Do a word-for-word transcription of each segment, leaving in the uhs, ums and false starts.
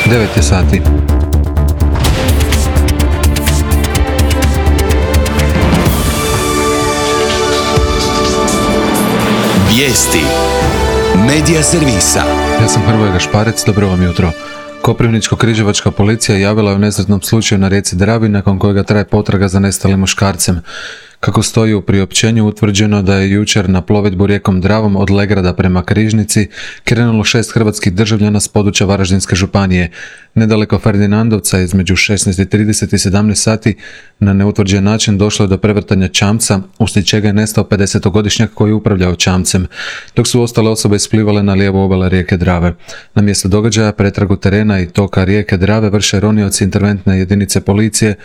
devet je sati. Vijesti Medija servisa. Ja sam Hrvoje Gašparec, dobro vam jutro. Koprivničko-križevačka policija javila je o nesretnom slučaju na rijeci Dravi nakon kojega traje potraga za nestalim muškarcem. Kako stoji u priopćenju, utvrđeno da je jučer na plovidbu rijekom Dravom od Legrada prema Križnici krenulo šest hrvatskih državljana s područja Varaždinske županije. Nedaleko Ferdinandovca između šesnaest i trideset i sedamnaest sati na neutvrđen način došlo je do prevrtanja čamca, uslijed čega je nestao pedesetogodišnjak koji je upravljao čamcem, dok su ostale osobe isplivale na lijevu obale rijeke Drave. Na mjesto događaja pretragu terena i toka rijeke Drave vrše ronioci interventne jedinice policije,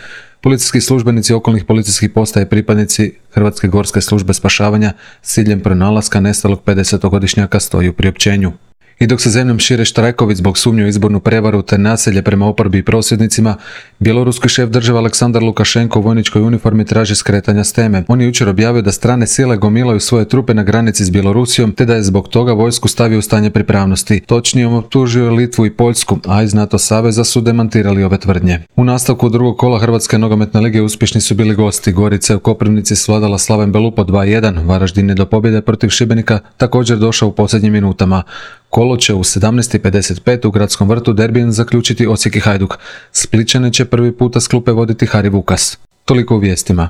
policijski službenici okolnih policijskih postaja i pripadnici Hrvatske gorske službe spašavanja s ciljem pronalaska nestalog pedesetogodišnjaka, stoji u priopćenju. I dok se zemljom šire štrajkovi zbog sumnje u izbornu prevaru te nasilje prema oporbi i prosvjednicima, bjeloruski šef države Aleksandar Lukašenko u vojničkoj uniformi traži skretanja s teme. On je jučer objavio da strane sile gomilaju svoje trupe na granici s Bjelorusijom te da je zbog toga vojsku stavio u stanje pripravnosti. Točnije, on optužio je Litvu i Poljsku, a iz NATO saveza su demantirali ove tvrdnje. U nastavku drugog kola Hrvatske nogometne lige uspješni su bili gosti. Gorica je u Koprivnici svladala Slaven Belupo dva jedan, Varaždin je do pobjede protiv Šibenika također došao u posljednjim minutama. Kolo će u sedamnaest i pedeset pet u Gradskom vrtu derbijem zaključiti Osijek i Hajduk. Splićane će prvi puta s klupe voditi Hari Vukas. Toliko u vijestima.